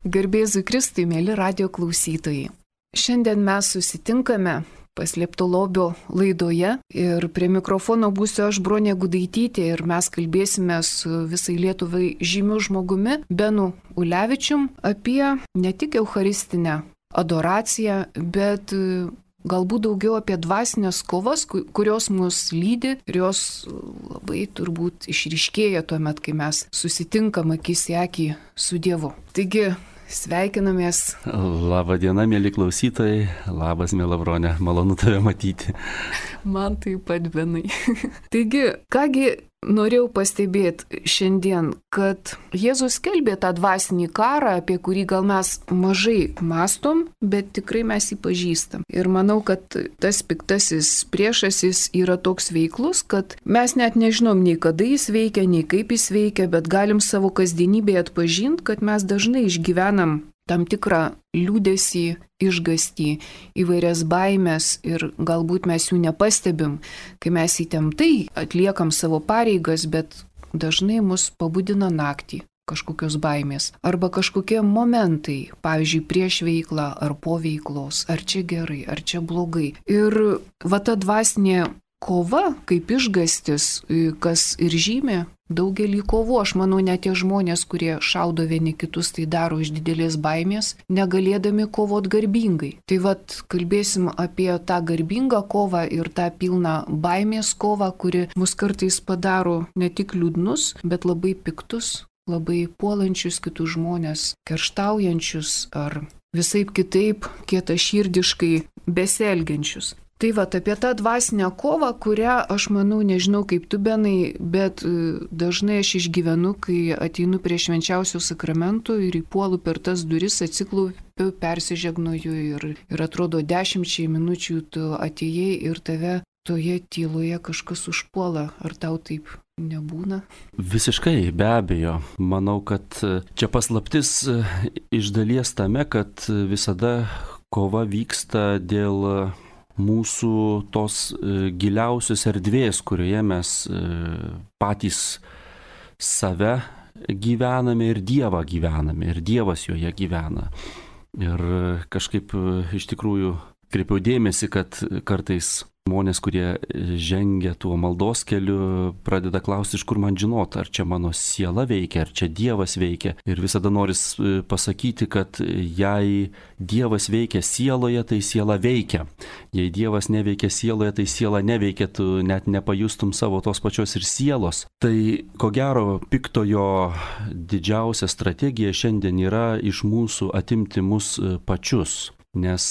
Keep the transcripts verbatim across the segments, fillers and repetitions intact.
Garbėzui Kristui, mėly radio klausytojai. Šiandien mes susitinkame Paslėpto lobio laidoje ir prie mikrofono būsiu aš, Bronė Gudaitytė, ir mes kalbėsime su visai Lietuvai žymiu žmogumi, Benu Ulevičium, apie ne tik eucharistinę adoraciją, bet galbūt daugiau apie dvasinės kovas, kurios mus lydi ir jos labai turbūt išryškėja tuomet, kai mes susitinkam akis į akį su Dievu. Taigi, sveikinamės. Labą dieną, mėly klausytojai. Labas, mėla Bronė. Malonu tave matyti. Man taip pat, Benai. Taigi, kągi norėjau pastebėti šiandien, kad Jėzus skelbė tą dvasinį karą, apie kurį gal mes mažai mastom, bet tikrai mes jį pažįstam. Ir manau, kad tas piktasis priešasis yra toks veiklus, kad mes net nežinom nei kada jis veikia, nei kaip jis veikia, bet galim savo kasdienybėje atpažinti, kad mes dažnai išgyvenam tam tikrą liūdesį, išgąstį, įvairias baimės ir galbūt mes jų nepastebim, kai mes įtemptai atliekam savo pareigas, bet dažnai mus pabudina naktį kažkokios baimės arba kažkokie momentai, pavyzdžiui, prieš veiklą ar po veiklos, ar čia gerai, ar čia blogai. Ir va ta dvasinė kova, kaip išgąstis, kas ir žymė daugelį kovų. Aš manau, net tie žmonės, kurie šaudo vieni kitus, tai daro iš didelės baimės, negalėdami kovot garbingai. Tai vat kalbėsim apie tą garbingą kovą ir tą pilną baimės kovą, kuri mus kartais padaro ne tik liūdnus, bet labai piktus, labai puolančius kitus žmonės, kerštaujančius ar visaip kitaip kietaširdiškai besielgiančius. Tai va, apie tą dvasinę kovą, kurią aš manau, nežinau kaip tu, Benai, bet dažnai aš išgyvenu, kai ateinu prie švenčiausių sakramentų ir įpuolu per tas duris, atsiklaupiu, persižegnoju ir, ir atrodo dešimčiai minučių tu atėjai ir tave toje tyloje kažkas užpuola. Ar tau taip nebūna? Visiškai, be abejo. Manau, kad čia paslaptis iš dalies tame, kad visada kova vyksta dėl mūsų tos giliausios erdvės, kurioje mes patys save gyvename ir Dievą gyvename, ir Dievas joje gyvena. Ir kažkaip iš tikrųjų kreipiau dėmesį, kad kartais žmonės, kurie žengia tuo maldos keliu, pradeda klausti, iš kur man žinot, ar čia mano siela veikia, ar čia Dievas veikia. Ir visada noris pasakyti, kad jei Dievas veikia sieloje, tai siela veikia. Jei Dievas neveikia sieloje, tai siela neveikia, tu net nepajustum savo tos pačios ir sielos. Tai ko gero piktojo didžiausia strategija šiandien yra iš mūsų atimti mus pačius. Nes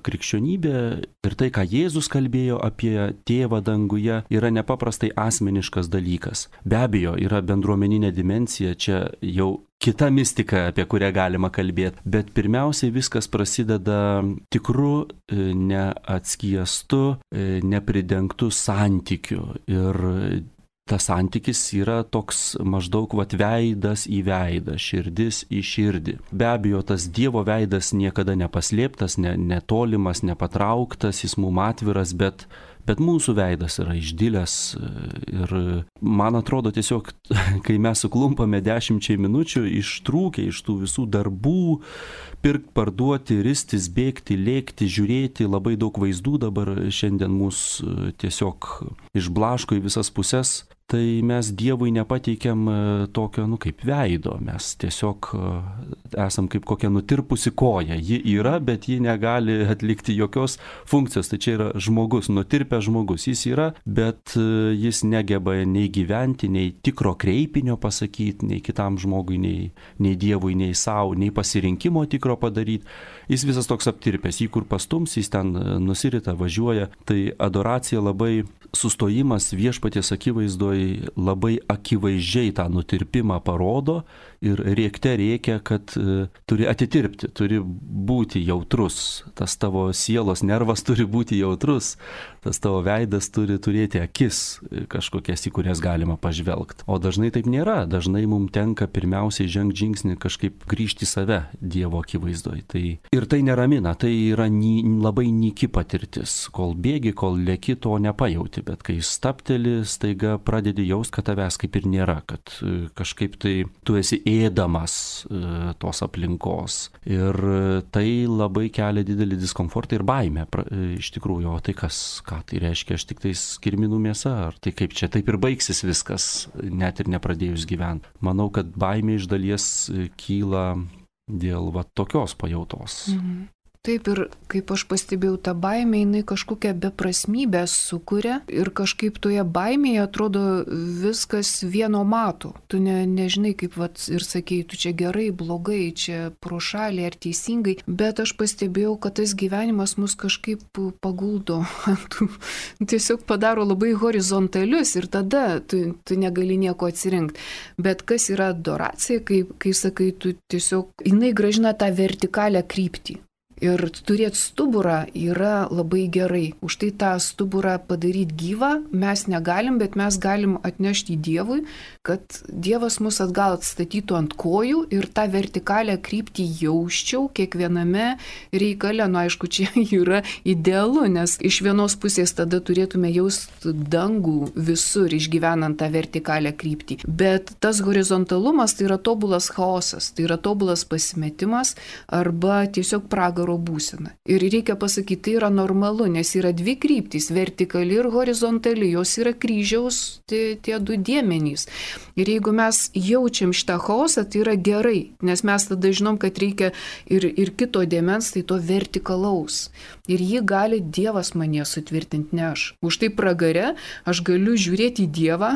krikščionybė ir tai, ką Jėzus kalbėjo apie Tėvą danguje, yra nepaprastai asmeniškas dalykas. Be abejo, yra bendruomeninė dimensija, čia jau kita mistika, apie kurią galima kalbėti. Bet pirmiausiai viskas prasideda tikru, neatskiestu, nepridengtu santykiu. Ir tas santykis yra toks maždaug vat veidas į veidą, širdis į širdį. Be abejo, tas Dievo veidas niekada nepaslėptas, ne, netolimas, nepatrauktas, jis mum atviras, bet, bet mūsų veidas yra išdilęs. Ir man atrodo tiesiog, kai mes suklumpame dešimčiai minučių, ištrūkę iš tų visų darbų, pirkt, parduoti, ristis, bėgti, lėkti, žiūrėti, labai daug vaizdų dabar šiandien mūsų tiesiog išblaško į visas puses. Tai mes Dievui nepateikiam tokio, nu, kaip veido, mes tiesiog esam kaip kokia nutirpusi koja. Ji yra, bet ji negali atlikti jokios funkcijos. Tai čia yra žmogus, nutirpęs žmogus. Jis yra, bet jis negeba nei gyventi, nei tikro kreipinio pasakyti, nei kitam žmogui, nei, nei Dievui, nei savo, nei pasirinkimo tikro padaryti. Jis visas toks aptirpęs, jį kur pastums, jis ten nusirita, važiuoja. Tai adoracija labai, sustojimas viešpaties akivaizdoj labai akivaizdžiai tą nutirpimą parodo ir rėkte rėkia, kad e, turi atitirpti, turi būti jautrus. Tas tavo sielos nervas turi būti jautrus, tas tavo veidas turi turėti akis kažkokias, į kurias galima pažvelgti. O dažnai taip nėra, dažnai mums tenka pirmiausiai žengti žingsnį kažkaip grįžti į save Dievo akivaizdoj. Tai, ir tai neramina, tai yra ny, labai nyki patirtis. Kol bėgi, kol lėki, to nepajauti, bet kai stapteli, staiga pradedi jaust, kad tavęs kaip ir nėra, kad kažkaip tai tu esi ėdamas tos aplinkos. Ir tai labai kelia didelį diskomfortą ir baimę. Iš tikrųjų, o tai kas, ką tai reiškia, aš tik tais kirminų mėsa, ar tai kaip čia taip ir baigsis viskas, net ir nepradėjus gyventi. Manau, kad baimė iš dalies kyla dėl va tokios pajautos. Mhm. Taip, ir kaip aš pastebėjau, ta baimė, jinai kažkokią beprasmybę sukuria ir kažkaip toje baimėje atrodo viskas vieno mato. Tu ne, nežinai, kaip vat, ir sakei, tu čia gerai, blogai, čia pro šalį ar teisingai, bet aš pastebėjau, kad tas gyvenimas mus kažkaip paguldo, tiesiog padaro labai horizontalius ir tada tu, tu negali nieko atsirinkti. Bet kas yra adoracija, kai, kai sakai, tu tiesiog, jinai gražina tą vertikalę kryptį. Ir turėti stuburą yra labai gerai. Už tai tą stuburą padaryti gyvą mes negalim, bet mes galim atnešti Dievui, kad Dievas mus atgal atstatytų ant kojų ir tą vertikalę kryptį jausčiau kiekviename reikale. Nu, aišku, čia yra idealu, nes iš vienos pusės tada turėtume jausti dangų visur, išgyvenant tą vertikalę kryptį. Bet tas horizontalumas tai yra tobulas chaosas, tai yra tobulas pasimetimas arba tiesiog pragaro būsena. Ir reikia pasakyti, tai yra normalu, nes yra dvi kryptys, vertikali ir horizontali, jos yra kryžiaus tie, tie du dėmenys. Ir jeigu mes jaučiam šitą chaosą, tai yra gerai, nes mes tada žinom, kad reikia ir, ir kito dėmens, tai to vertikalaus. Ir jį gali Dievas mane sutvirtinti, ne aš. Už tai pragare aš galiu žiūrėti į Dievą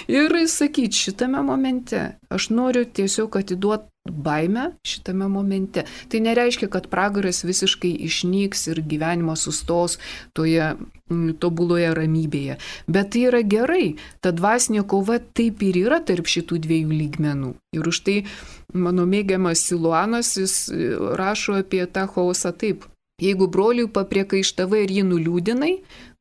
ir sakyti šitame momente, aš noriu tiesiog atiduoti baimę šitame momente. Tai nereiškia, kad pragaras visiškai išnyks ir gyvenimas sustos toje m, tobuloje ramybėje. Bet tai yra gerai. Ta dvasinė kova taip ir yra tarp šitų dviejų lygmenų. Ir už tai mano mėgiamas Siluanas, jis rašo apie tą chaosą taip. Jeigu broliui papriekaištavai ir jį nuliūdinai,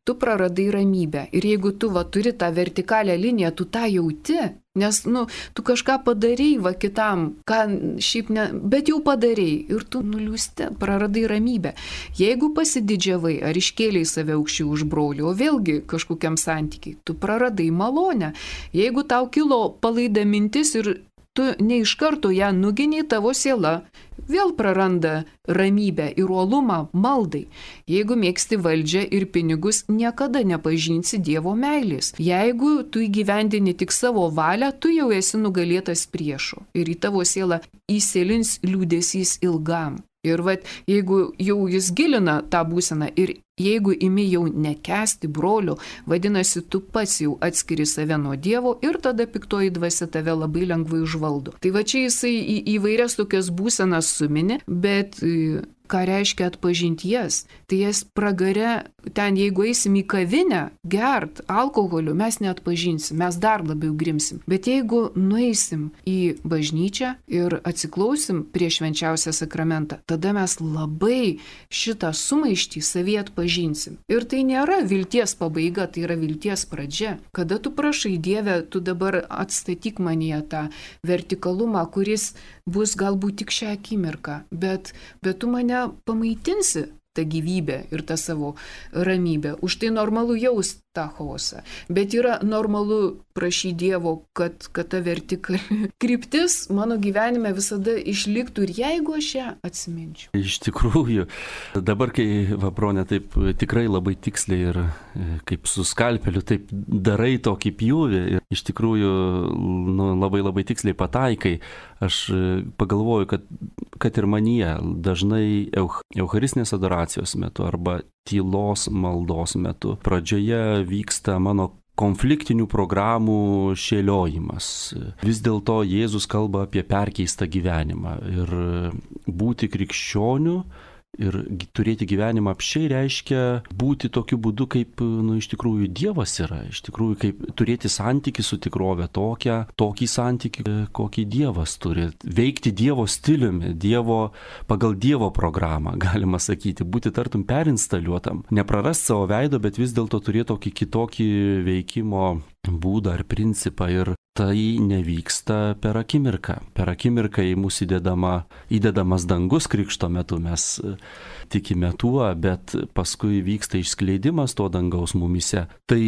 tu praradai ramybę. Ir jeigu tu va turi tą vertikalę liniją, tu tą jauti, nes, nu, tu kažką padarei va kitam, ką šiaip ne, bet jau padarei ir tu nuliūsti, praradai ramybę. Jeigu pasididžiavai ar iškėlei save aukščiau už brolį, o vėlgi kažkokiam santykiai, tu praradai malonę. Jeigu tau kilo palaida mintis ir tu ne iš karto ją nuginiai, tavo siela vėl praranda ramybę ir uolumą maldai. Jeigu mėgsti valdžią ir pinigus, niekada nepažinsi Dievo meilės. Jeigu tu įgyvendini tik savo valią, tu jau esi nugalėtas priešo ir į tavo sielą įsėlins liūdesys ilgam. Ir vat, jeigu jau jis gilina tą būseną ir jeigu imi jau nekęsti brolio, vadinasi, tu pats jau atskiri save nuo Dievo ir tada piktoji dvasia tave labai lengvai užvaldo. Tai va čia jisai į įvairias tokias būsenas sumini, bet ką reiškia atpažinti jas? Tai jas pragare, ten jeigu eisim į kavinę, gert alkoholiu, mes neatpažinsim, mes dar labiau grimsim. Bet jeigu nueisim į bažnyčią ir atsiklausim prie švenčiausią sakramentą, tada mes labai šitą sumaištį savyje atpažinsim. Ir tai nėra vilties pabaiga, tai yra vilties pradžia. Kada tu prašai Dieve, tu dabar atstatyk manyje tą vertikalumą, kuris bus galbūt tik šią akimirką, bet, bet tu mane pamaitinsi tą gyvybę ir tą savo ramybę. Už tai normalu jaust tą chaosą. Bet yra normalu prašyti Dievo, kad, kad ta vertikali kryptis mano gyvenime visada išliktų ir jeigu aš ją atsiminčiau. Iš tikrųjų, dabar kai Vabronė taip tikrai labai tiksliai ir kaip su skalpeliu taip darai tokį pjūvį ir iš tikrųjų nu, labai labai tiksliai pataikai, aš pagalvoju, kad, kad ir manyje dažnai euch, eucharistinės adoracijos metu arba tylos maldos metu pradžioje vyksta mano konfliktinių programų šėliojimas. Vis dėlto Jėzus kalba apie perkeistą gyvenimą ir būti krikščioniu ir turėti gyvenimą apsčiai reiškia būti tokiu būdu, kaip nu, iš tikrųjų Dievas yra, iš tikrųjų kaip turėti santykį su tikrove tokią, tokį santykį, kokį Dievas turi, veikti Dievo stiliumi, Dievo, pagal Dievo programą, galima sakyti, būti tartum perinstaliuotam, neprarast savo veido, bet vis dėlto turėti tokį kitokį veikimo būdą ar principą ir tai nevyksta per akimirką. Per akimirką į mūsų įdedama, įdedamas dangus krikšto metu, mes tikime tuo, bet paskui vyksta išskleidimas to dangaus mumise. Tai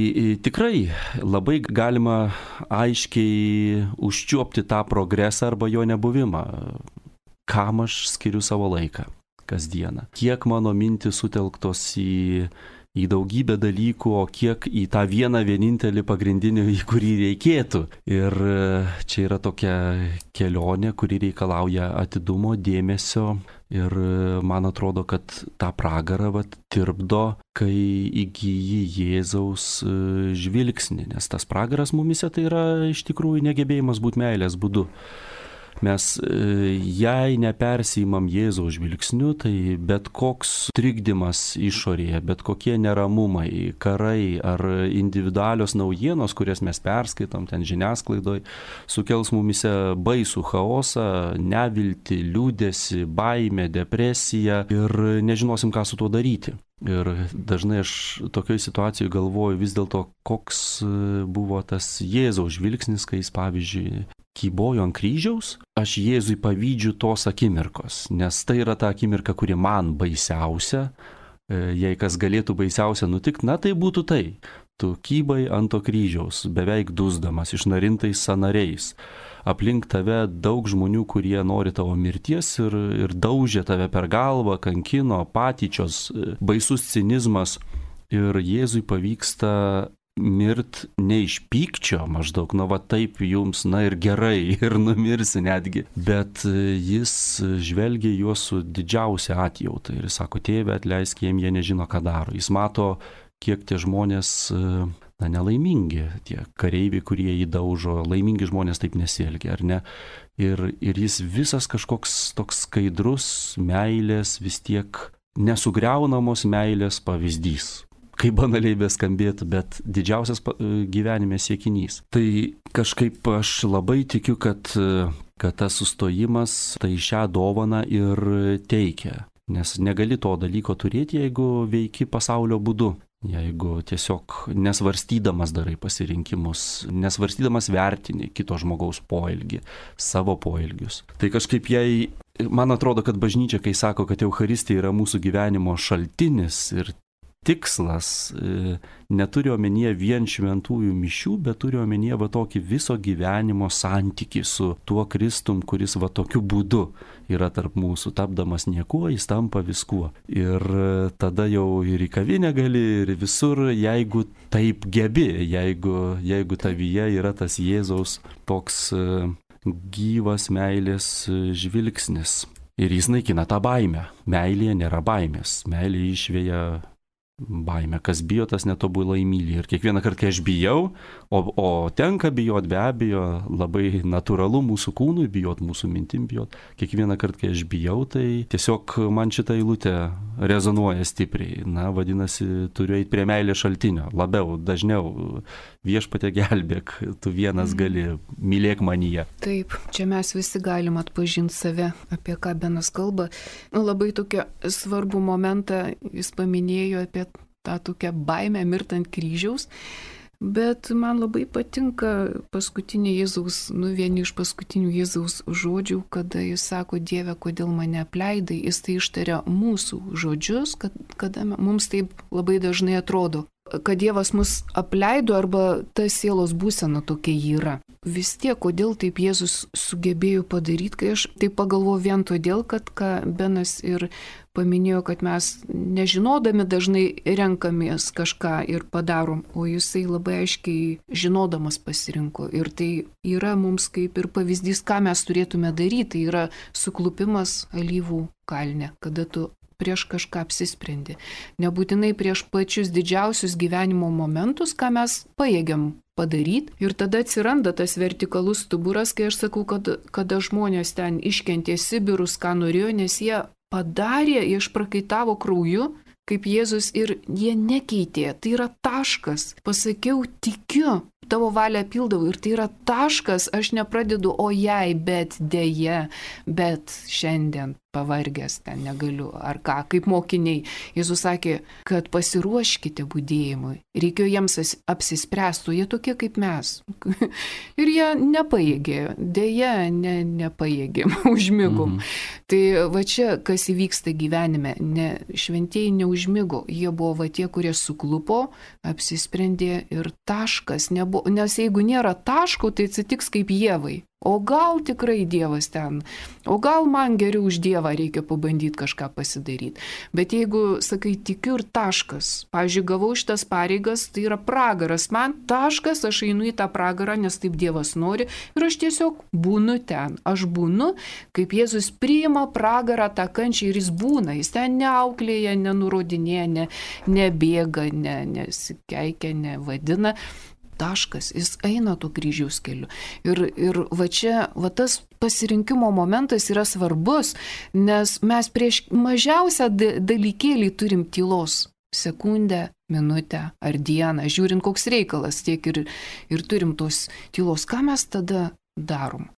tikrai labai galima aiškiai užčiuopti tą progresą arba jo nebuvimą. Kam aš skiriu savo laiką kasdieną? Kiek mano mintys sutelktos į į daugybę dalykų, o kiek į tą vieną vienintelį pagrindinį, į kurį reikėtų. Ir čia yra tokia kelionė, kuri reikalauja atidumo, dėmesio. Ir man atrodo, kad tą pragarą vat, tirpdo, kai įgyji Jėzaus žvilgsnį. Nes tas pragaras mumise tai yra iš tikrųjų negebėjimas būti meilės būdu. Mes jei nepersijimam Jėzaus žvilgsniu, tai bet koks trikdymas išorėje, bet kokie neramumai, karai ar individualios naujienos, kurias mes perskaitom ten žiniasklaidoj, sukels mumise baisų chaosą, neviltį, liūdesį, baimę, depresiją ir nežinosim, ką su tuo daryti. Ir dažnai aš tokioje situacijoje galvoju vis dėlto, koks buvo tas Jėzaus žvilgsnis, kai jis, pavyzdžiui, kybojo ant kryžiaus. Aš Jėzui pavydžiu tos akimirkos, nes tai yra ta akimirka, kuri man baisiausia. Jei kas galėtų baisiausia nutikti, na tai būtų tai. Tu kybai ant to kryžiaus, beveik dusdamas, išnarintais sąnariais. Aplink tave daug žmonių, kurie nori tavo mirties ir, ir daužė tave per galvą, kankino, patyčios, baisus cinizmas. Ir Jėzui pavyksta mirt ne iš pykčio, maždaug, na va taip jums, na ir gerai, ir numirsi netgi. Bet jis žvelgia juos su didžiausia atjauta ir sako, tėve, atleisk jiem, jie nežino, ką daro. Jis mato, kiek tie žmonės, na, nelaimingi, tie kareiviai, kurie jį daužo, laimingi žmonės taip nesielgia, ar ne? Ir, ir jis visas kažkoks toks skaidrus meilės, vis tiek nesugriaunamos meilės pavyzdys. Kaip banaliai beskambėtų, bet didžiausias gyvenime siekinys. Tai kažkaip aš labai tikiu, kad, kad tas sustojimas tai šią dovaną ir teikia. Nes negali to dalyko turėti, jeigu veiki pasaulio būdu. Jeigu tiesiog nesvarstydamas darai pasirinkimus, nesvarstydamas vertini kito žmogaus poelgį, savo poelgius. Tai kažkaip jei, man atrodo, kad bažnyčia, kai sako, kad Eucharistija yra mūsų gyvenimo šaltinis ir tikslas, neturi omenyje vien šventųjų mišių, bet turi omenyje va tokį viso gyvenimo santykį su tuo Kristum, kuris va tokiu būdu yra tarp mūsų, tapdamas niekuo, jis tampa viskuo. Ir tada jau ir į kavinę gali, ir visur, jeigu taip gebi, jeigu, jeigu tavyje yra tas Jėzaus toks gyvas meilės žvilgsnis. Ir jis naikina tą baimę. Meilėje nėra baimės. Meilė išvėja baimę. Kas bijo, tas netobulai myli. Ir kiekvieną kartą, kai aš bijau, o, o tenka bijot, be abejo, labai natūralu mūsų kūnui bijot, mūsų mintim bijot. Kiekvieną kartą, kai aš bijau, tai tiesiog man šitą eilutę rezonuoja stipriai. Na, vadinasi, turiu eiti prie meilės šaltinio. Labiau, dažniau. Viešpatie gelbėk, tu vienas gali, mylėk manyje. Taip, čia mes visi galim atpažinti save, apie ką Benas kalba. Labai tokia svarbų momentą jis paminėjo apie tą tokią baimę mirtant kryžiaus, bet man labai patinka paskutinė Jėzaus, nu vieni iš paskutinių Jėzaus žodžių, kada jis sako, Dieve, kodėl mane apleidai, jis tai ištaria mūsų žodžius, kad, kada mums taip labai dažnai atrodo, kad Dievas mus apleido arba ta sielos būsena tokia yra. Vis tiek, kodėl taip Jėzus sugebėjo padaryti, kai aš taip pagalvoju vien todėl, kad ką Benas ir paminėjo, kad mes nežinodami dažnai renkamės kažką ir padarom, o jisai labai aiškiai žinodamas pasirinko. Ir tai yra mums kaip ir pavyzdys, ką mes turėtume daryti, tai yra suklupimas alyvų kalne, kada tu prieš kažką apsisprendi. Nebūtinai prieš pačius didžiausius gyvenimo momentus, ką mes pajėgiam padaryti. Ir tada atsiranda tas vertikalus stuburas, kai aš sakau, kad kada žmonės ten iškentė Sibirus, ką norėjo, nes jie padarė, jie išprakaitavo krauju, kaip Jėzus, ir jie nekeitė. Tai yra taškas. Pasakiau, tikiu, tavo valią pildau, ir tai yra taškas, aš nepradedu, o jei, bet dėje, bet šiandien pavargęs, ten negaliu, ar ką, kaip mokiniai. Jėzus sakė, kad pasiruoškite budėjimui. Reikėjo jiems apsispręstų, jie tokie kaip mes. Ir jie nepajėgė, dėja, ne, nepajėgėm, užmigom. Mhm. Tai va čia, kas įvyksta gyvenime, ne, šventieji neužmigo, jie buvo va tie, kurie suklupo, apsisprendė ir taškas nebuvo, nes jeigu nėra taško, tai atsitiks kaip Ievai. O gal tikrai Dievas ten, o gal man geriau už Dievą reikia pabandyti kažką pasidaryti. Bet jeigu, sakai, tikiu ir taškas, pavyzdžiui, gavau šitas pareigas, tai yra pragaras, man taškas, aš einu į tą pragarą, nes taip Dievas nori ir aš tiesiog būnu ten. Aš būnu, kaip Jėzus priima pragarą tą kančią ir jis būna, jis ten neauklėja, nenurodinėja, ne, nebėga, ne, nesikeikia, nevadina. Taškas, jis eina tuo kryžiaus keliu. Ir, ir va čia, va tas pasirinkimo momentas yra svarbus, nes mes prieš mažiausią dalykėlį turim tylos. Sekundę, minutę ar dieną, žiūrint koks reikalas, tiek ir, ir turim tos tylos. Ką mes tada darom?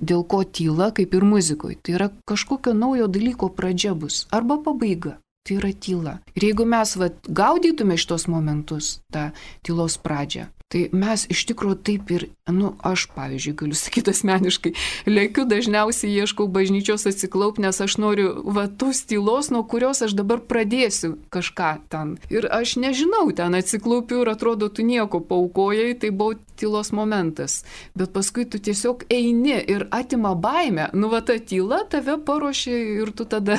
Dėl ko tyla, kaip ir muzikoje, tai yra kažkokio naujo dalyko pradžia bus arba pabaiga. Tai yra tyla. Ir jeigu mes va, gaudytume šitos momentus, tą tylos pradžią, tai mes iš tikrųjų taip ir, nu, aš, pavyzdžiui, galiu sakyti asmeniškai, lėkiu dažniausiai ieškau bažnyčios atsiklaup, nes aš noriu va tos tylos, nuo kurios aš dabar pradėsiu kažką ten. Ir aš nežinau, ten atsiklaupiu ir atrodo, tu nieko paukojai, tai buvo tylos momentas. Bet paskui tu tiesiog eini ir atima baimę, nu va ta tyla tave paruošia ir tu tada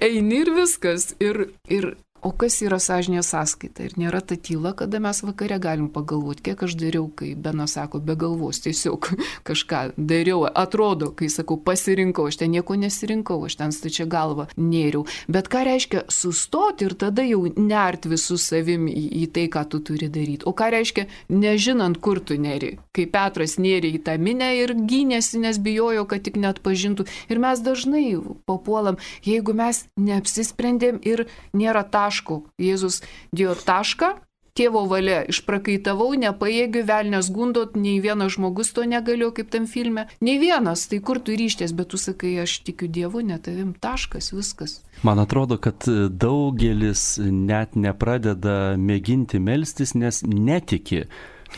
eini ir viskas. Ir, ir o kas yra sąžinės sąskaita? Ir nėra ta tyla, kada mes vakare galim pagalvoti, kiek aš dariau, kai Benas sako, be galvos, tiesiog kažką dariau. Atrodo, kai sakau, pasirinkau, aš ten nieko nesirinkau, aš ten stačia galva nėriau. Bet ką reiškia sustoti ir tada jau nert visų savim į, į tai, ką tu turi daryti. O ką reiškia nežinant, kur tu neri. Kai Petras nėrė į tą minę ir gynėsi, nes bijojo, kad tik net pažintų. Ir mes dažnai papuolam, jeigu mes neapsisprendėm ir nėra taško. Jėzus dėjo tašką, tėvo valia, išprakaitavau, nepajėgiu, velnės gundot, nei vienas žmogus to negalėjo, kaip tam filme. Nei vienas, tai kur tu ryšties, bet tu sakai, aš tikiu Dievu, ne tavim, taškas, viskas. Man atrodo, kad daugelis net nepradeda mėginti melstis, nes netiki,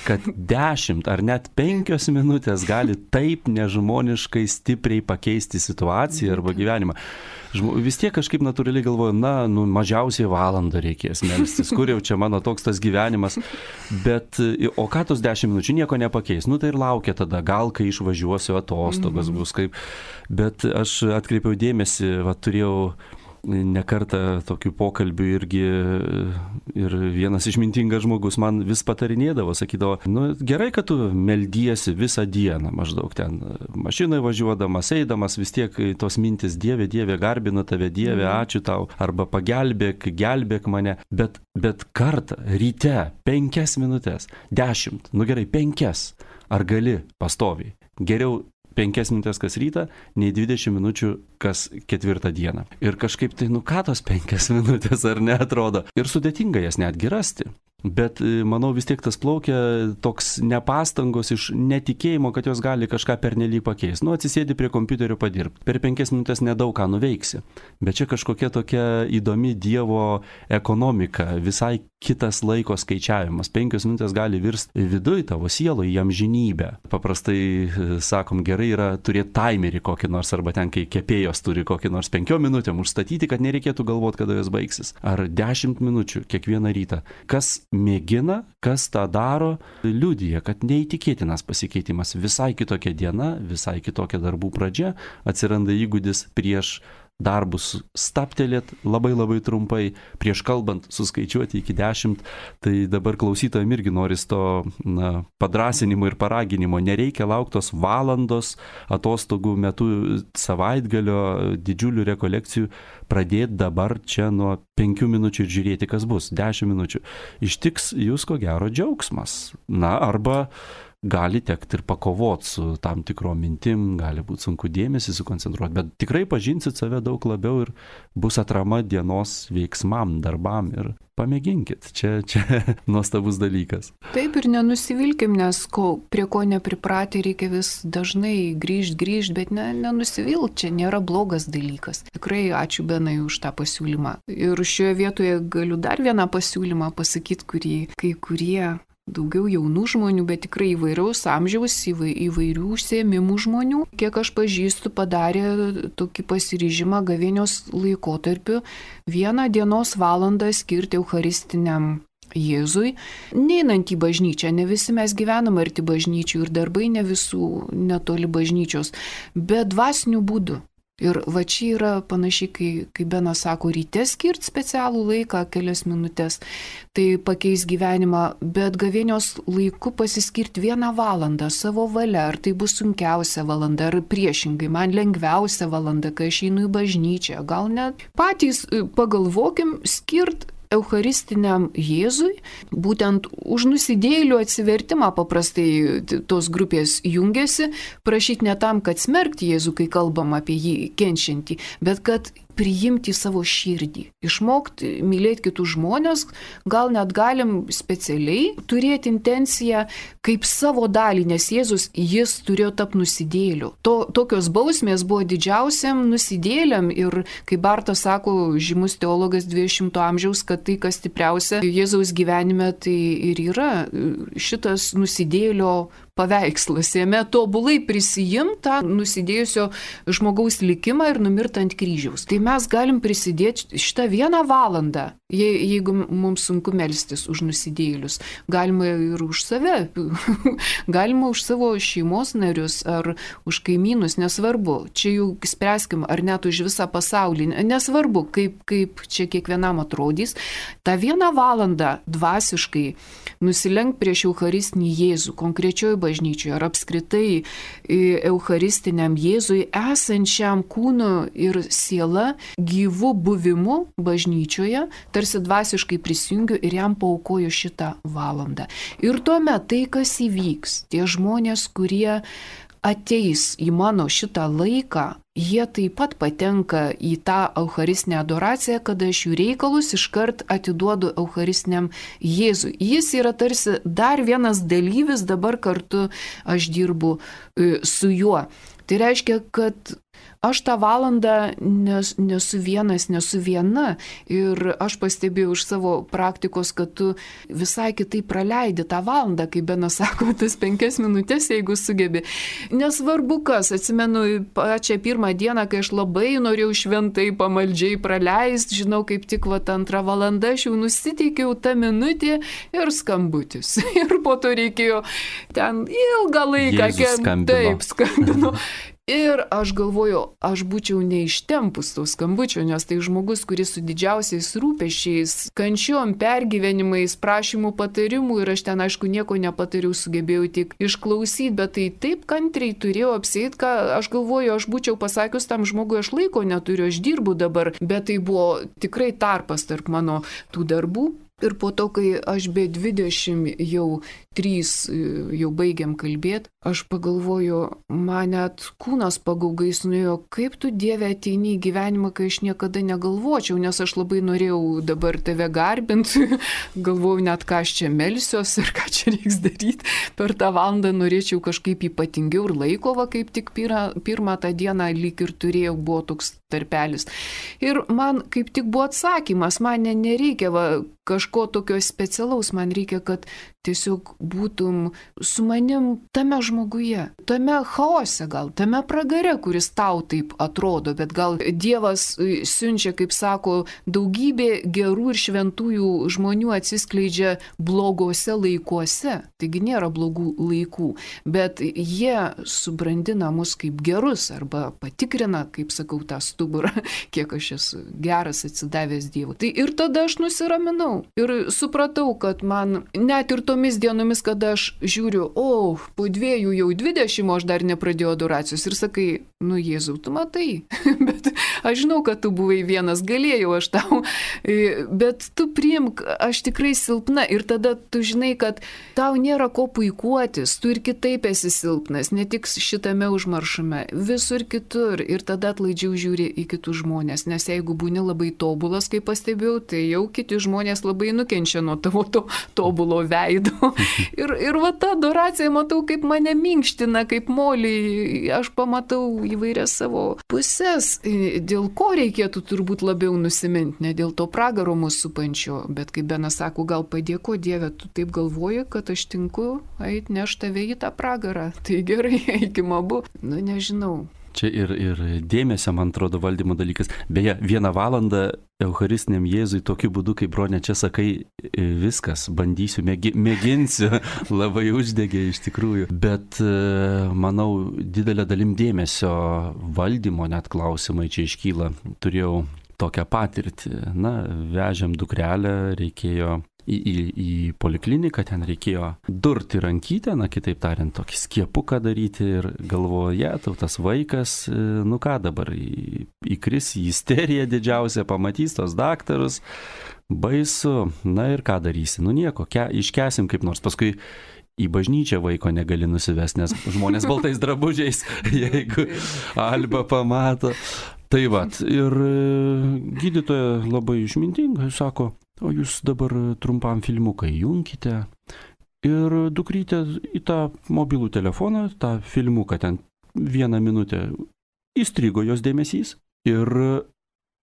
kad dešimt ar net penkios minutės gali taip nežmoniškai stipriai pakeisti situaciją arba gyvenimą. Vis tiek kažkaip natūraliai galvoju, na, nu, mažiausiai valandą reikės melstis, kur jau čia mano toks tas gyvenimas. Bet, o ką tos dešimt minučių nieko nepakeis? Nu, tai ir laukia tada, gal kai išvažiuosiu atostogas bus kaip. Bet aš atkreipiau dėmesį, va, turėjau nekartą tokių pokalbių irgi ir vienas išmintingas žmogus man vis patarinėdavo, sakydavo, nu gerai, kad tu meldiesi visą dieną, maždaug ten mašinoje važiuodamas, eidamas, vis tiek tos mintis, Dieve, Dieve, garbinu tave, Dieve, ačiū tau, arba pagelbėk, gelbėk mane, bet, bet kartą, ryte, penkias minutės, dešimt, nu gerai, penkias, ar gali pastoviai, geriau penkias minutės kas rytą, nei dvidešimt minučių kas ketvirtą dieną. Ir kažkaip tai, nu ką tos penkias minutės ar neatrodo. Ir sudėtinga jas netgi rasti. Bet manau vis tiek tas plaukia toks nepastangos iš netikėjimo, kad jos gali kažką pernelyg pakeisti. Nu, atsisėdi prie kompiuterio padirbti. Per penkias minutės nedaug ką nuveiksi. Bet čia kažkokia tokia įdomi Dievo ekonomika, visai kitas laiko skaičiavimas. Penkios minutės gali virsti viduj tavo sieloj į amžinybę. Paprastai, sakom, gerai yra turėti timerį kokį nors, arba ten, kai kepėjos turi kokį nors penkiom minutėm užstatyti, kad nereikėtų galvoti, kada jos baigsis. Ar dešimt minučių kiekvieną rytą. Kas mėgina, kas tą daro, liudija, kad neįtikėtinas pasikeitimas. Visai kitokia diena, visai kitokia darbų pradžia, atsiranda įgūdis prieš darbus staptelėt labai labai trumpai, prieš kalbant suskaičiuoti iki dešimt, tai dabar klausytojam irgi noris to na, padrasinimo ir paraginimo. Nereikia lauktos valandos atostogų metu, savaitgalio, didžiulių rekolekcijų, pradėti dabar čia nuo penkių minučių ir žiūrėti, kas bus, dešimt minučių. Ištiks jūs ko gero džiaugsmas. Na, arba gali tekti ir pakovoti su tam tikrom mintim, gali būti sunku dėmesį sukoncentruoti, bet tikrai pažinsit save daug labiau ir bus atrama dienos veiksmam, darbam ir pamėginkit. Čia, čia nuostabus dalykas. Taip ir nenusivilkim, nes ko, prie ko nepripratę reikia vis dažnai grįžti, grįžti, bet ne, nenusivilk, čia nėra blogas dalykas. Tikrai ačiū Benai už tą pasiūlymą. Ir šioje vietoje galiu dar vieną pasiūlymą pasakyti, kurį kai kurie daugiau jaunų žmonių, bet tikrai įvairiaus amžiaus, įvairių užsiėmimų žmonių, kiek aš pažįstu, padarė tokį pasiryžimą gavėnios laikotarpiu vieną dienos valandą skirti eucharistiniam Jėzui, neinant į bažnyčią, ne visi mes gyvenam arti bažnyčių ir darbai ne visų netoli bažnyčios, bet dvasiniu būdu. Ir va čia yra panašiai, kai, kai Benas sako, ryte skirti specialų laiką, kelias minutės, tai pakeis gyvenimą, bet gavėnios laiku pasiskirti vieną valandą savo valia, ar tai bus sunkiausia valanda, ar priešingai, man lengviausia valanda, kai aš einu į bažnyčią, gal net patys pagalvokim skirti eucharistiniam Jėzui, būtent už nusidėjėlių atsivertimą paprastai tos grupės jungiasi, prašyti ne tam, kad smerkti Jėzų, kai kalbam apie jį kenčiantį, bet kad priimti savo širdį, išmokti mylėti kitus žmonės, gal net galim specialiai turėti intenciją kaip savo dalį, nes Jėzus, jis turėjo tapti nusidėliu. To, tokios bausmės buvo didžiausiam nusidėliam ir, kaip Bartas sako, žymus teologas dvidešimto amžiaus, kad tai, kas stipriausia Jėzaus gyvenime, tai ir yra šitas nusidėlio paveikslas, jame tobulai prisijimta nusidėjusio žmogaus likimą ir numirta ant kryžiaus. Tai mes galim prisidėti šitą vieną valandą, je, jeigu mums sunku melstis už nusidėjėlius. Galima ir už save, galima už savo šeimos narius ar už kaimynus, nesvarbu. Čia jau spręskim, ar net už visą pasaulį, nesvarbu, kaip, kaip čia kiekvienam atrodys. Ta vieną valandą dvasiškai nusilenk prieš eucharistinį Jėzų, konkrečioje bažnyčioje ar apskritai eucharistiniam Jėzui esančiam kūnu ir siela gyvu buvimu bažnyčioje, tarsi dvasiškai prisijungiu ir jam paaukoju šitą valandą. Ir tuomet tai, kas įvyks, tie žmonės, kurie ateis į mano šitą laiką, jie taip pat patenka į tą eucharistinę adoraciją, kada aš jų reikalus iškart atiduodu eucharistiniam Jėzui. Jis yra tarsi dar vienas dalyvis, dabar kartu aš dirbu su juo. Tai reiškia, kad aš tą valandą nes, nesu vienas, nesu viena ir aš pastebėjau iš savo praktikos, kad tu visai kitaip praleidi tą valandą, kaip Benas sako, tas penkias minutės, jeigu sugebi. Nesvarbu kas, atsimenu pačią pirmą dieną, kai aš labai norėjau šventai pamaldžiai praleisti, žinau, kaip tik va antrą valandą aš jau nusiteikiau tą minutę ir skambutis. Ir po to reikėjo ten ilgą laiką, taip skambino. Ir aš galvoju, aš būčiau neištempus to skambučio, nes tai žmogus, kuris su didžiausiais rūpesčiais, kančiom, pergyvenimais, prašymų patarimų ir aš ten, aišku, nieko nepatariau, sugebėjau tik išklausyti, bet tai taip kantriai turėjau apsėti, ką aš galvoju, aš būčiau pasakius tam žmogui, aš laiko neturiu, aš dirbu dabar, bet tai buvo tikrai tarpas tarp mano tų darbų. Ir po to, kai aš be dvidešimt jau trys jau baigiam kalbėti, aš pagalvoju, man net kūnas pagaugais nuėjo, kaip tu Dieve ateini į gyvenimą, kai aš niekada negalvočiau, nes aš labai norėjau dabar tave garbinti, galvoju net ką aš čia melsiuos ir ką čia reiks daryti. Per tą valandą norėčiau kažkaip ypatingiau ir laiko, va, kaip tik pirmą, pirmą tą dieną lyg ir turėjau, buvo toks tarpelis. Ir man kaip tik buvo atsakymas, man nereikia va, kažko tokio specialaus, man reikia, kad tiesiog būtum su manim tame žmoguje, tame chaose gal, tame pragare, kuris tau taip atrodo, bet gal Dievas siunčia, kaip sako, daugybė gerų ir šventųjų žmonių atsiskleidžia blogose laikuose, taigi nėra blogų laikų, bet jie subrandina mus kaip gerus arba patikrina, kaip sakau, tą stuburą, kiek aš esu geras atsidavęs Dievui. Tai ir tada aš nusiraminau ir supratau, kad man net ir tomis dienomis, kada aš žiūriu, o, po dviejų jau dvidešimt, aš dar nepradėjau adoracijos ir sakai, nu Jėzau, tu matai, bet aš žinau, kad tu buvai vienas, galėjau aš tau, bet tu priimk, aš tikrai silpna ir tada tu žinai, kad tau nėra ko puikuotis, tu ir kitaip esi silpnas, ne tik šitame užmaršume, visur kitur ir tada atlaidžiau žiūri į kitus žmonės, nes jeigu būni labai tobulas, kaip pastebėjau, tai jau kiti žmonės labai nukenčia nuo tavo to tobulo veido. Ir, ir va ta adoracija, matau, kaip mane minkština, kaip molį, aš pamatau įvairias savo pusės, dėl ko reikėtų turbūt labiau nusiminti, ne dėl to pragaro mūsų supančio, bet kaip Benas sako, gal padėko Dieve, tu taip galvoji, kad aš tinku eit neš tave į tą pragarą, tai gerai, eikim abu, nu nežinau. Čia ir, ir dėmesio, man atrodo, valdymo dalykas. Beje, vieną valandą Eucharistiniam Jėzui tokiu būdu, kaip Bronė čia sakai, viskas, bandysiu, mėgi, mėginsiu, labai uždegė iš tikrųjų. Bet manau, didelė dalim dėmesio valdymo net klausimai čia iškyla. Turėjau tokią patirtį. Na, vežėm dukrelę, reikėjo į, į, į polikliniką, ten reikėjo durti rankytę, na kitaip tariant, tokį skiepuką daryti ir galvoje, tau tas vaikas, nu ką dabar, į, įkris į isteriją didžiausią, pamatys tos daktarus, baisu, na ir ką darysi, nu nieko, ke, iškesim kaip nors, paskui į bažnyčią vaiko negali nusivesti, nes žmonės baltais drabužiais, jeigu Alba pamato. Tai vat, ir gydytoja labai išmintingai sako, o jūs dabar trumpam filmuką įjunkite ir dukrytė į tą mobilų telefoną, tą filmuką ten vieną minutę įstrigo jos dėmesys ir,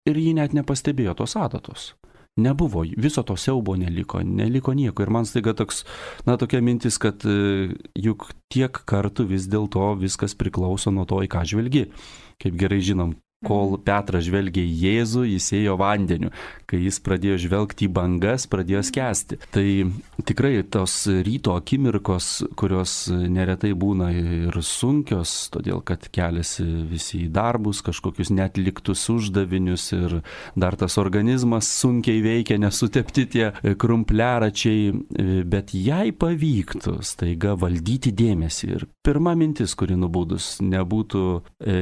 ir ji net nepastebėjo tos adatos. Nebuvo, viso to siaubo neliko, neliko nieko. Ir man staiga toks, na, tokia mintis, kad juk tiek kartų vis dėlto viskas priklauso nuo to, į ką žvelgi. Kaip gerai žinom, kol Petras žvelgė į Jėzų, jis ėjo vandeniu. Kai jis pradėjo žvelgti į bangas, pradėjo skęsti. Tai tikrai tos ryto akimirkos, kurios neretai būna ir sunkios, todėl kad keliasi visi į darbus, kažkokius netliktus uždavinius ir dar tas organizmas sunkiai veikia, nesutepti tie krumpliaračiai, bet jai pavyktų staiga valdyti dėmesį. Ir pirma mintis, kuri nubudus, nebūtų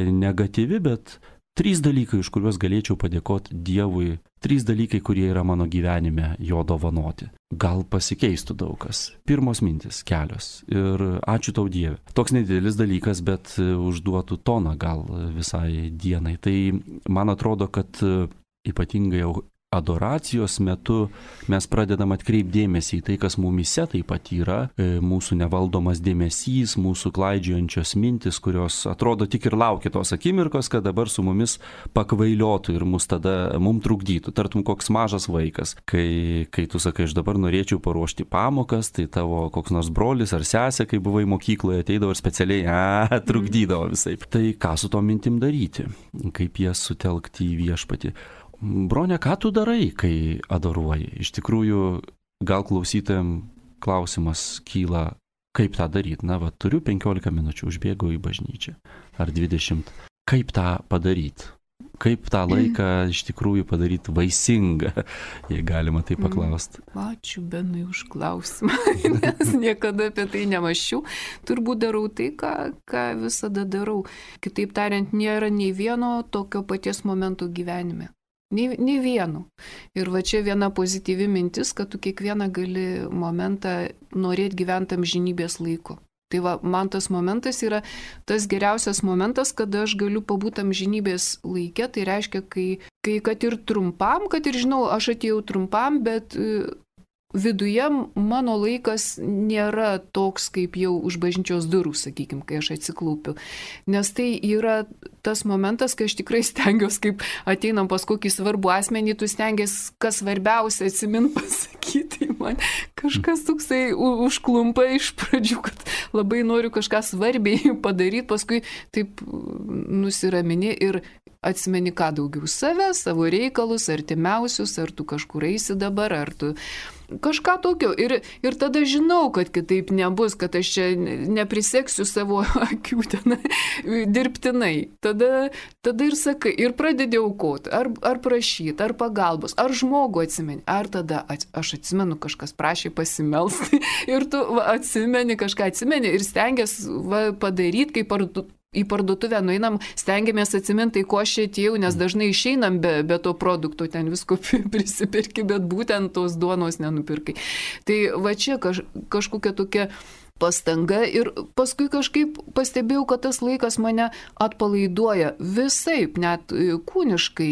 negatyvi, bet trys dalykai, iš kuriuos galėčiau padėkoti Dievui, trys dalykai, kurie yra mano gyvenime jo dovanoti. Gal pasikeistų daug kas. Pirmos mintis, kelios. Ir ačiū tau Dieve. Toks nedidelis dalykas, bet užduotų toną gal visai dienai. Tai man atrodo, kad ypatingai jau adoracijos metu mes pradedam atkreipdėmėsi į tai, kas mumyse taip pat yra, mūsų nevaldomas dėmesys, mūsų klaidžiojančios mintis, kurios atrodo tik ir laukia tos akimirkos, kad dabar su mumis pakvailiotų ir mus tada mum trukdytų, tartum koks mažas vaikas. Kai, kai tu sakai, aš dabar norėčiau paruošti pamokas, tai tavo koks nors brolis ar sesė, kai buvai mokykloje, ateidavo ir specialiai, a, trukdydavo visai. Tai ką su to mintim daryti? Kaip jas sutelkti į viešpatį? Bronė, ką tu darai, kai adoruoji? Iš tikrųjų, gal klausytojam klausimas kyla, kaip tą daryti. Na, va, turiu penkiolika minučių, užbėgau į bažnyčią. Ar dvidešimt. Kaip tą padaryti? Kaip tą laiką iš tikrųjų padaryti vaisingą, jei galima tai paklausti. Ačiū Benui už klausimą, nes niekada apie tai nemaščiau. Turbūt darau tai, ką, ką visada darau. Kitaip tariant, nėra nei vieno tokio paties momento gyvenime. Nei, nei vienu. Ir va čia viena pozityvi mintis, kad tu kiekvieną gali momentą norėti gyventi amžinybės laiku. Tai va, man tas momentas yra tas geriausias momentas, kada aš galiu pabūti amžinybės laike. Tai reiškia, kai, kai kad ir trumpam, kad ir žinau, aš atėjau trumpam, bet viduje mano laikas nėra toks kaip jau už bažnyčios durų, sakykime, kai aš atsiklaupiu. Nes tai yra tas momentas, kai aš tikrai stengiuosi, kaip ateinam pas kokį svarbų asmenį, tu stengiasi, kas svarbiausia atsimint pasakyti. Man kažkas toksai užklumpa iš pradžių, kad labai noriu kažką svarbiai padaryti, paskui taip nusiramini ir atsimeni ką daugiau save, savo reikalus, artimiausius, ar tu kažkur eisi dabar, ar tu kažką tokio. Ir, ir tada žinau, kad kitaip nebus, kad aš čia nepriseksiu savo akių ten dirbtinai. Tada, tada ir sakai, ir pradedi aukoti, ar, ar prašyti, ar pagalbos, ar žmogų atsimeni, ar tada aš atsimenu, kažkas prašė pasimelsti ir tu va, atsimeni, kažką atsimeni ir stengiasi padaryti, kaip ar į parduotuvę nueinam, stengiamės atsiminti, ko aš čia atėjau, nes dažnai išeinam be, be to produkto, ten visko prisipirki, bet būtent tos duonos nenupirkai. Tai va čia kaž, kažkokia tokia pastanga ir paskui kažkaip pastebėjau, kad tas laikas mane atpalaiduoja visaip, net kūniškai,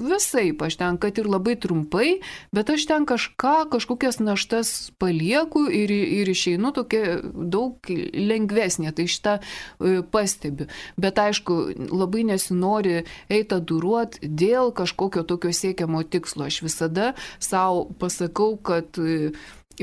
visaip, aš ten, kad ir labai trumpai, bet aš ten kažką, kažkokias naštas palieku ir, ir išeinu tokia daug lengvesnė, tai šitą pastebiu. Bet aišku, labai nesinori eiti duruot dėl kažkokio tokio siekiamo tikslo. Aš visada savo pasakau, kad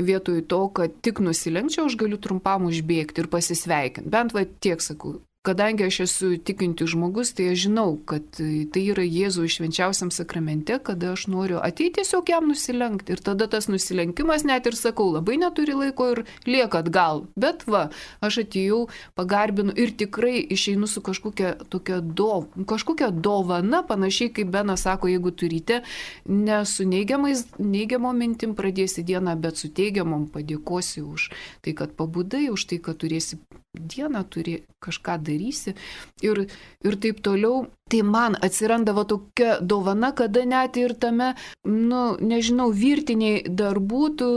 vietoj to, kad tik nusilenkčiau, aš galiu trumpam užbėgti ir pasisveikinti. Bent va tiek sakau. Kadangi aš esu tikintis žmogus, tai aš žinau, kad tai yra Jėzų švenčiausiam sakramente, kada aš noriu ateiti tiesiog jam nusilenkti. Ir tada tas nusilenkimas, net ir sakau, labai neturi laiko ir lieka atgal. Bet va, aš atėjau, pagarbinu ir tikrai išeinu su kažkokia tokia dov, kažkokia dovana, panašiai kaip Benas sako, jeigu turite, ne su neigiamom mintim pradėsi dieną, bet su teigiamom padėkosi už tai, kad pabudai, už tai, kad turėsi dieną, turi kažką darysi ir, ir taip toliau. Tai man atsirandavo tokia dovana, kada net ir tame, nu, nežinau, virtiniai darbų, tu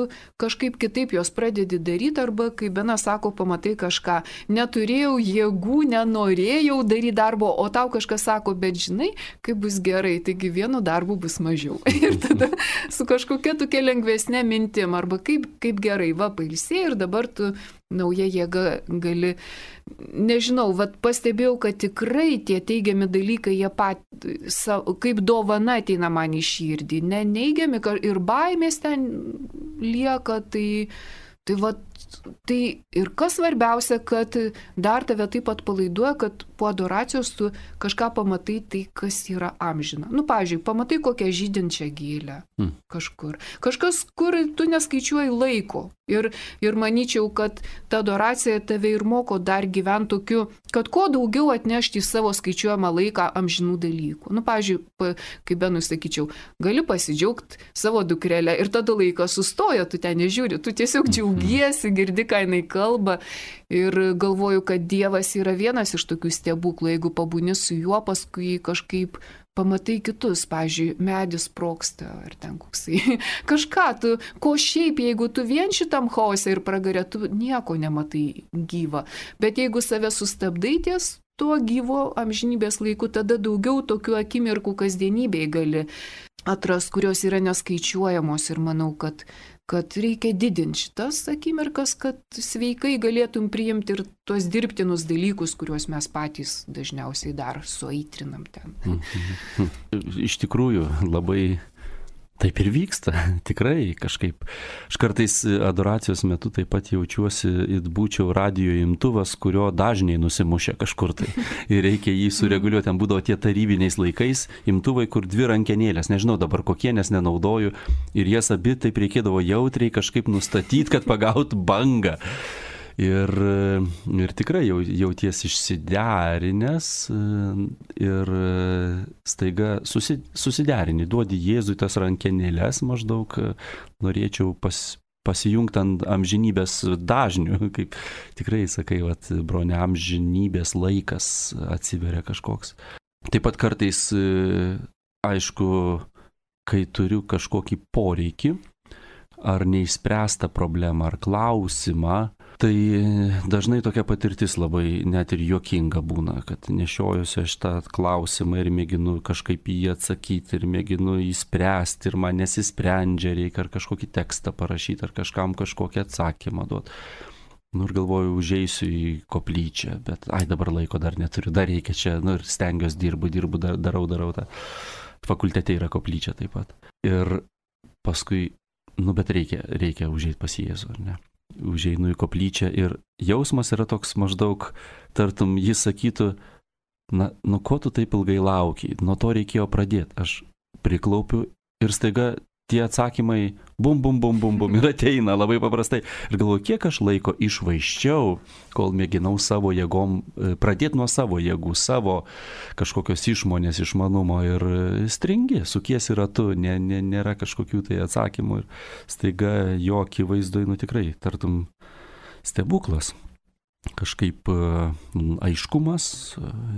kažkaip kitaip jos pradedi daryti, arba, kaip Benas sako, pamatai kažką. Neturėjau jėgų, nenorėjau daryti darbo, o tau kažkas sako, bet žinai, kaip bus gerai, taigi vienu darbu bus mažiau. Ir tada su kažkokia tokia lengvesnė mintim, arba kaip, kaip gerai, va, pailsėjai ir dabar tu nauja jėga gali, nežinau, vat pastebėjau, kad tikrai tie teigiami dalykai, jie pat, kaip dovana ateina man į širdį, ne neigiami ir baimės ten lieka, tai, tai vat, tai ir kas svarbiausia, kad dar tave taip atpalaiduoja, kad po adoracijos tu kažką pamatai tai, kas yra amžina. Nu, pavyzdžiui, pamatai kokią žydinčią gėlę mm. kažkur. Kažkas, kur tu neskaičiuoji laiko. Ir, ir manyčiau, kad ta adoracija tave ir moko dar gyventi tokiu, kad kuo daugiau atnešti į savo skaičiuojamą laiką amžinų dalykų. Nu, pavyzdžiui, kaip Benui sakyčiau, gali pasidžiaugti savo dukrelę ir tada laikas sustoja, tu ten nežiūri, tu tiesiog džiaugiesi, girdi, ką jinai kalba ir galvoju, kad Dievas yra vienas iš tokių stebuklų, jeigu pabūni su juo, paskui kažkaip pamatai kitus, pavyzdžiui, medis sprogsta ar ten koksai. Kažką tu, ko šiaip, jeigu tu vien šitam chaose ir pragarė, tu nieko nematai gyva. Bet jeigu save sustabdai ties tuo gyvo amžinybės laiku, tada daugiau tokių akimirkų kasdienybėje gali atras, kurios yra neskaičiuojamos ir manau, kad kad reikia didinti šitas akimirkas, kad sveikai galėtum priimti ir tuos dirbtinus dalykus, kuriuos mes patys dažniausiai dar suaitrinam ten. Iš tikrųjų, labai taip ir vyksta, tikrai kažkaip. Aš kartais adoracijos metu taip pat jaučiuosi, it būčiau radijo imtuvas, kurio dažniai nusimušia kažkur tai. Ir reikia jį sureguliuoti. Ten būdavo tie tarybiniais laikais imtuvai, kur dvi rankenėlės, nežinau dabar kokie, nes nenaudoju. Ir jas abi taip reikėdavo jautriai kažkaip nustatyti, kad pagautų bangą. Ir, ir tikrai jau, jauties išsiderinęs ir staiga susi, susiderini, duodi Jėzui tas rankenėlės, maždaug norėčiau pas, pasijungti ant amžinybės dažnių, kaip tikrai sakai, vat, bronė, amžinybės laikas atsiveria kažkoks. Taip pat kartais, aišku, kai turiu kažkokį poreikį, ar neišspręstą problemą, ar klausimą, tai dažnai tokia patirtis labai net ir juokinga būna, kad nešiojuosi aš tą klausimą ir mėginu kažkaip jį atsakyti ir mėginu jį spręsti ir man nesisprendžia, reikia ar kažkokį tekstą parašyti, ar kažkam kažkokį atsakymą duoti. Nu ir galvoju, užeisiu į koplyčią, bet ai dabar laiko dar neturiu, dar reikia čia, nu ir stengiuosi, dirbu, dirbu, darau, darau tą. Fakultete yra koplyčia taip pat. Ir paskui, nu bet reikia, reikia užeiti pas Jėzų, ar ne? Užeinu į koplyčią ir jausmas yra toks maždaug, tartum jis sakytų, na, nu ko tu taip ilgai laukiai, nuo to reikėjo pradėti. Aš priklaupiu ir staiga tie atsakymai bum, bum, bum, bum, bum ir ateina labai paprastai. Ir galvoju, kiek aš laiko išvaiščiau, kol mėginau savo jėgom, pradėti nuo savo jėgų, savo kažkokios išmonės, išmanumo ir stringi, sukiesi ratu, nė, nė, nėra kažkokių tai atsakymų ir staiga jo akivaizdoj, nu tikrai, tartum stebuklas. kažkaip aiškumas,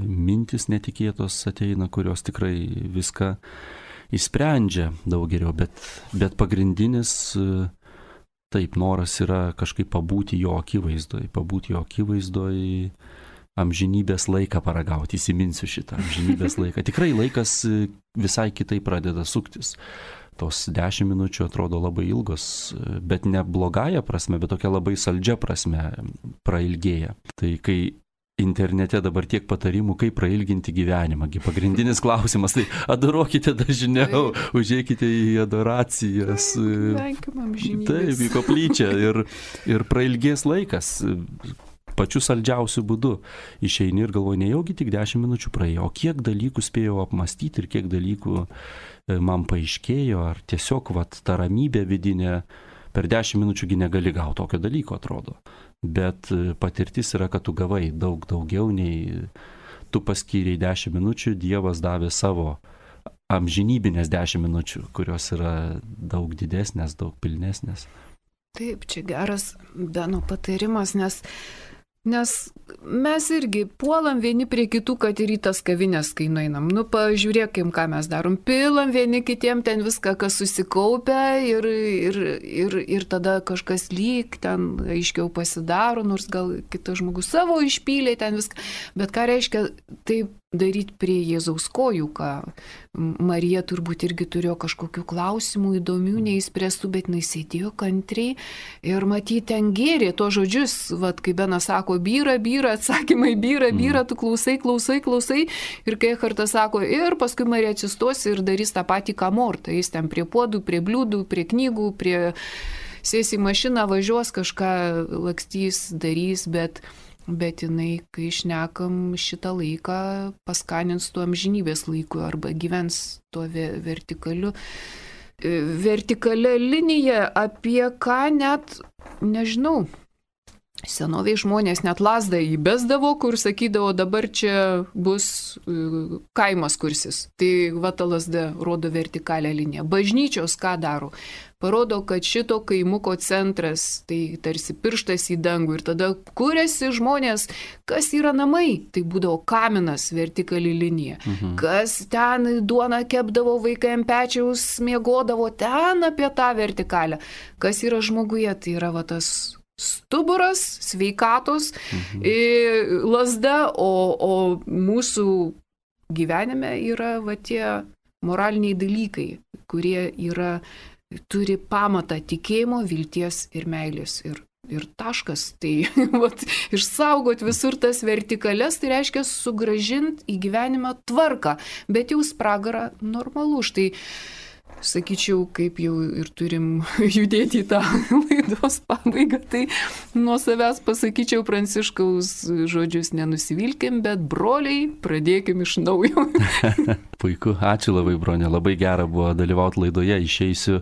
mintis netikėtos ateina, kurios tikrai viską išsprendžia daug geriau, bet, bet pagrindinis taip noras yra kažkaip pabūti jo akivaizdoj, pabūti jo akivaizdoj, amžinybės laiką paragauti, įsiminsiu šitą amžinybės laiką. Tikrai laikas visai kitai pradeda suktis. Tos dešimt minučių atrodo labai ilgos, bet ne blogąją prasme, bet tokia labai saldžia prasme prailgėja. Tai kai internete dabar tiek patarimų, kaip prailginti gyvenimą, pagrindinis klausimas, tai adorokite dažniau, užėkite į adoracijas. Taip, į koplyčią ir, ir prailgės laikas. Pačiu saldžiausiu būdu išeini ir galvoji, nejaugi tik dešimt minučių praėjo, o kiek dalykų spėjau apmastyti ir kiek dalykų man paaiškėjo, ar tiesiog vat, ta ramybė vidinė, per dešimt minučiųgi negali gauti tokio dalyko, atrodo. Bet patirtis yra, kad tu gavai daug daugiau nei tu paskyrei dešimt minučių, Dievas davė savo amžinybinės dešimt minučių, kurios yra daug didesnės, daug pilnesnės. Taip, čia geras Beno patarimas, nes Nes mes irgi puolam vieni prie kitų, kad ir į tas kavinės, kai nueinam. Nu, pažiūrėkim, ką mes darom. Pilam vieni kitiem ten viską, kas susikaupia ir, ir, ir, ir tada kažkas lyg ten aiškiau pasidaro, nors gal kitas žmogus savo išpylė ten viską. Bet ką reiškia taip daryti prie Jėzaus kojų, ką Marija turbūt irgi turėjo kažkokių klausimų įdomių, neįspręstų, bet jinai sėdėjo kantriai ir matyti ten gėrė to žodžius, vat, kai Benas sako, byra, byra, atsakymai, byra, byra, tu klausai, klausai, klausai ir kai Echartas sako, ir paskui Marija atsistos ir darys tą patį, ką Morta, jis ten prie puodų, prie bliūdų, prie knygų, prie sės į mašiną, važiuos, kažką lakstys, darys, bet Bet jinai, kai šnekam šitą laiką, paskanins tuo amžinybės laiku arba gyvens tuo vertikaliu, vertikalia linija, apie ką net, nežinau, senoviai žmonės net lasdą įbesdavo, kur sakydavo, dabar čia bus kaimas kursis. Tai va ta lasda rodo vertikalią liniją. Bažnyčios ką daro? Parodo, kad šito kaimuko centras, tai tarsi pirštas į dangų ir tada kuriasi žmonės, kas yra namai, tai būdavo kaminas, vertikali linija. Mhm. Kas ten duoną kepdavo, vaikai ant pečiaus miegodavo, ten apie tą vertikalę. Kas yra žmoguje, tai yra va tas stuburas, sveikatos, mhm. lasda, o, o mūsų gyvenime yra va tie moraliniai dalykai, kurie yra turi pamatą tikėjimo, vilties ir meilės. Ir, ir taškas. Tai vat, išsaugot visur tas vertikales, tai reiškia sugrąžinti į gyvenimą tvarką. Bet jau spragarą normalu. Štai, sakyčiau, kaip jau ir turim judėti į tą laidos pabaigą, tai nuo savęs pasakyčiau Pranciškaus žodžius, nenusivilkim, bet broliai, pradėkim iš naujo. Puiku, ačiū labai, bronė, labai gera buvo dalyvauti laidoje, išeisiu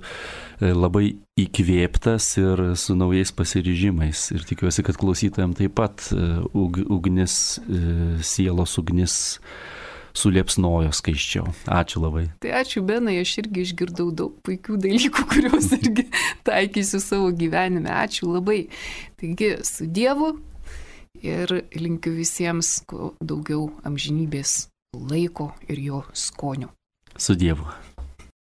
labai įkvėptas ir su naujais pasiryžimais. Ir tikiuosi, kad klausytojams taip pat ug, ugnis, sielos ugnis suliepsnojo skaiščiau. Ačiū labai. Tai ačiū, Benai, aš irgi išgirdau daug puikių dalykų, kuriuos irgi taikysiu savo gyvenime. Ačiū labai. Taigi, su Dievu ir linkiu visiems kuo daugiau amžinybės laiko ir jo skonio. Su Dievu.